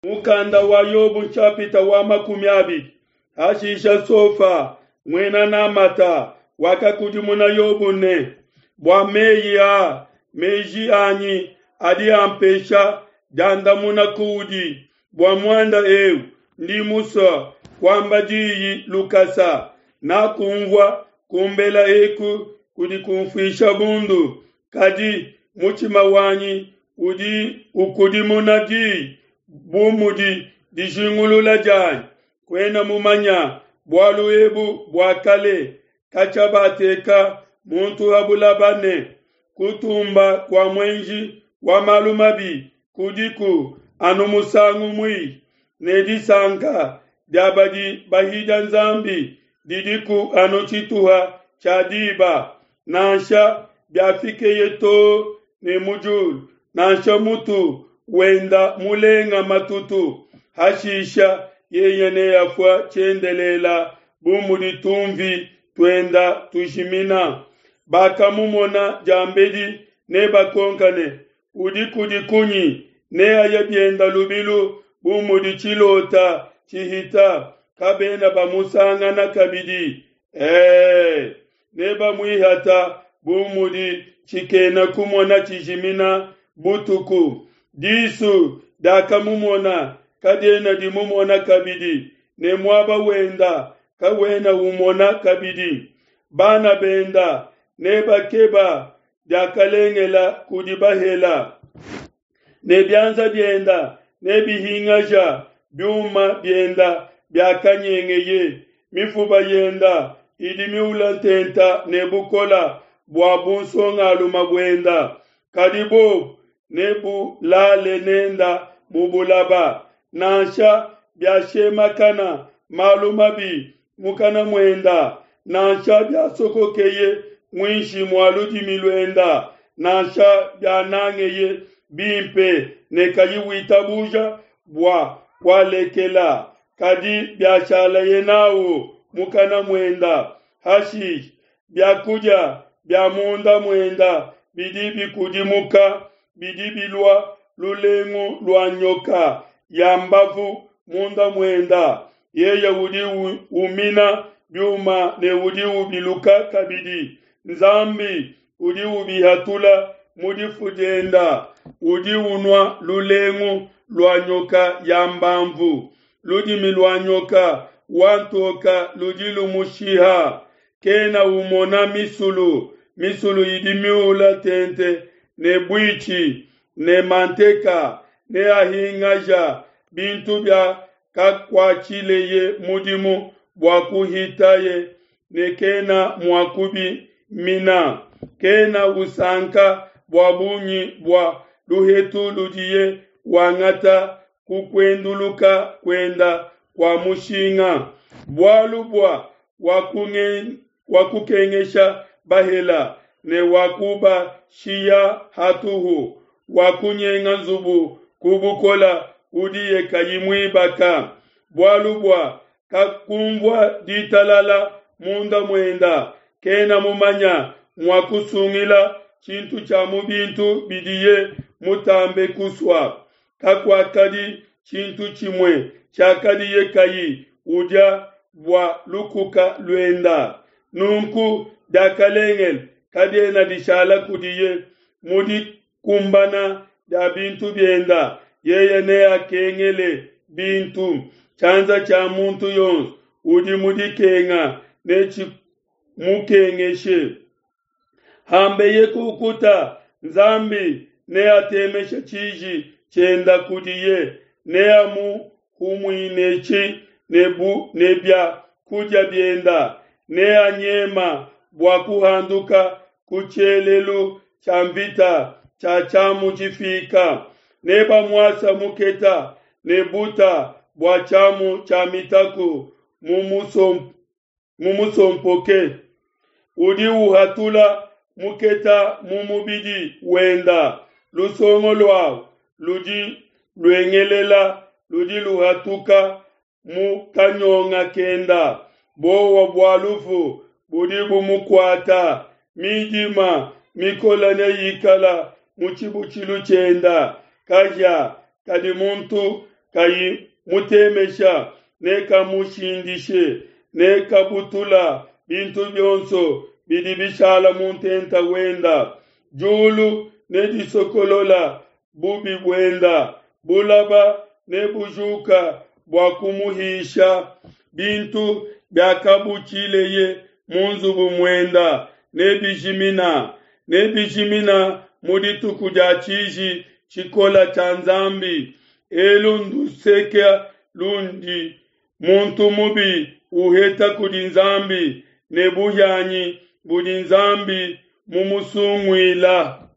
Mukanda wa Yobo nshapita wa 20. Hashisha Sofa, muena Namata, wakakudimuna Yobo ne, Bua meyi aa, meji anyi adi ampesha diandamuna kuudi. Bua muanda eu ndi musue kuamba diyi lukasa. Nakumvua kumbela eku kudi kumfuisha bundu, kadi mutshima wanyi udi ukudimuna diyi bu mudi dijingulula dianyi. Kuena mumanya bualu ebu bua kale, katshia bateka muntu ha bulaba ne, kutumba kua muenji wa malu mabi kudiku anu musangu muihi, ne disanka dia badi bahidia Nzambi didiku anu tshituha tshia diba. Nansha biafikeye too ne mu diulu, nansha mutu wenda mulenga matutu, hashisha yeye neafua tshiendelela bu mudi tunvi tuenda tujimina. Bakamumona diambedi nebakonka ne, Udi kudi kunyi? Neaye bienda lubilu bu mudi tshilota tshihita, kabena bamusangana kabidi. E, nebamuihata bu mudi tshikena kumona tshijimina butuku. Disu diakamumona kadiena dimumona kabidi, ne muaba wenda kawena umona kabidi. Bana benda nebakeba diakalengela kudi bahela, ne bianza bienda nebihingaja biuma bienda biakanyengeye. Mifuba yenda idi miula ntenta ne bukola bua bunsongaluma buenda, kadi bobu nebulale nenda mu bulaba. Nansha biashemakana malu mabi mukana muenda, nansha biasokokeye muinshi mua ludimi luenda, nansha bianangeye bimpe ne kayi witabuja bua kualekela, kadi biashalaye nawu mukana muenda, hashishe biakudia bia munda muenda bidi bikudimuka, bidi bilua lulengu lua nyoka ya mbavu munda muenda. Yeye udi umina biuma ne udi ubiluka kabidi. Nzambi udi ubihatula mu difu dienda. Udi unua lulengu lua nyoka ya mbamvu. Ludimi lua nyoka wa ntoka ludi lumushiha. Kena umona misulu, misulu idi miula tente ne buitshi ne manteka. Neahingaja bintu bia kakuatshileye mudimu bua kuhitaye, ne kena mua kubimina. Kena usanka bua bungi bua luhetu ludiye wangata ku kuenduluka kuenda kua mushinga. Bualu bua wakukengesha bahela ne wakubashiya hatuhu, wakunyenga nzubu ku bukola udiye kayi muibaka. Bualu bua kakumvua ditalala munda muenda, kena mumanya mua kusungila tshintu tshia mu bintu bidiye mutambe kusua. Kakuakadi tshintu tshimue tshiakadiye kayi udia bua lukuka luenda. Nunku diakalengele kadiena dishala kudiye. Mu dikumbana dia bintu bienda yeye neakengele bintu. Tshianza tshia muntu yonso udi mu dikenga netshimukengeshe. Hambeye kukuta, Nzambi neatemeshe tshiji tshienda kudiye, neamuhumuinetshi ne bu ne bia kudia bienda, neanyema bua kuhanduka ku tshielelu tshia mvita tshia tshiamu tshifika. Nebamuasa muketa ne buta bua tshiamu tshia mitaku mumusompoke. Udi uhatula muketa mu mubidi wenda, lusongo luawu ludi luengelela ludi luhatuka mu kanyonga kenda. Buowa bua lufu budi bumukuata, midima mikola neyikala mu tshibutshilu tshienda. Kahia kadi muntu kayi mutemesha nekamushindishe, nekabutula bintu bionso bidi bishala mu ntenta wenda. Diulu nedisokolola bubi buenda, bulaba nebujuka bua kumuhisha. Bintu biakabutshileye mu nzubu muenda nebijimina, nebijimina mu dituku dia tshiji tshikola tshia Nzambi. Elu nduseke lundi muntu mubi uheta kudi Nzambi, ne buhianyi budi Nzambi mumusunguila.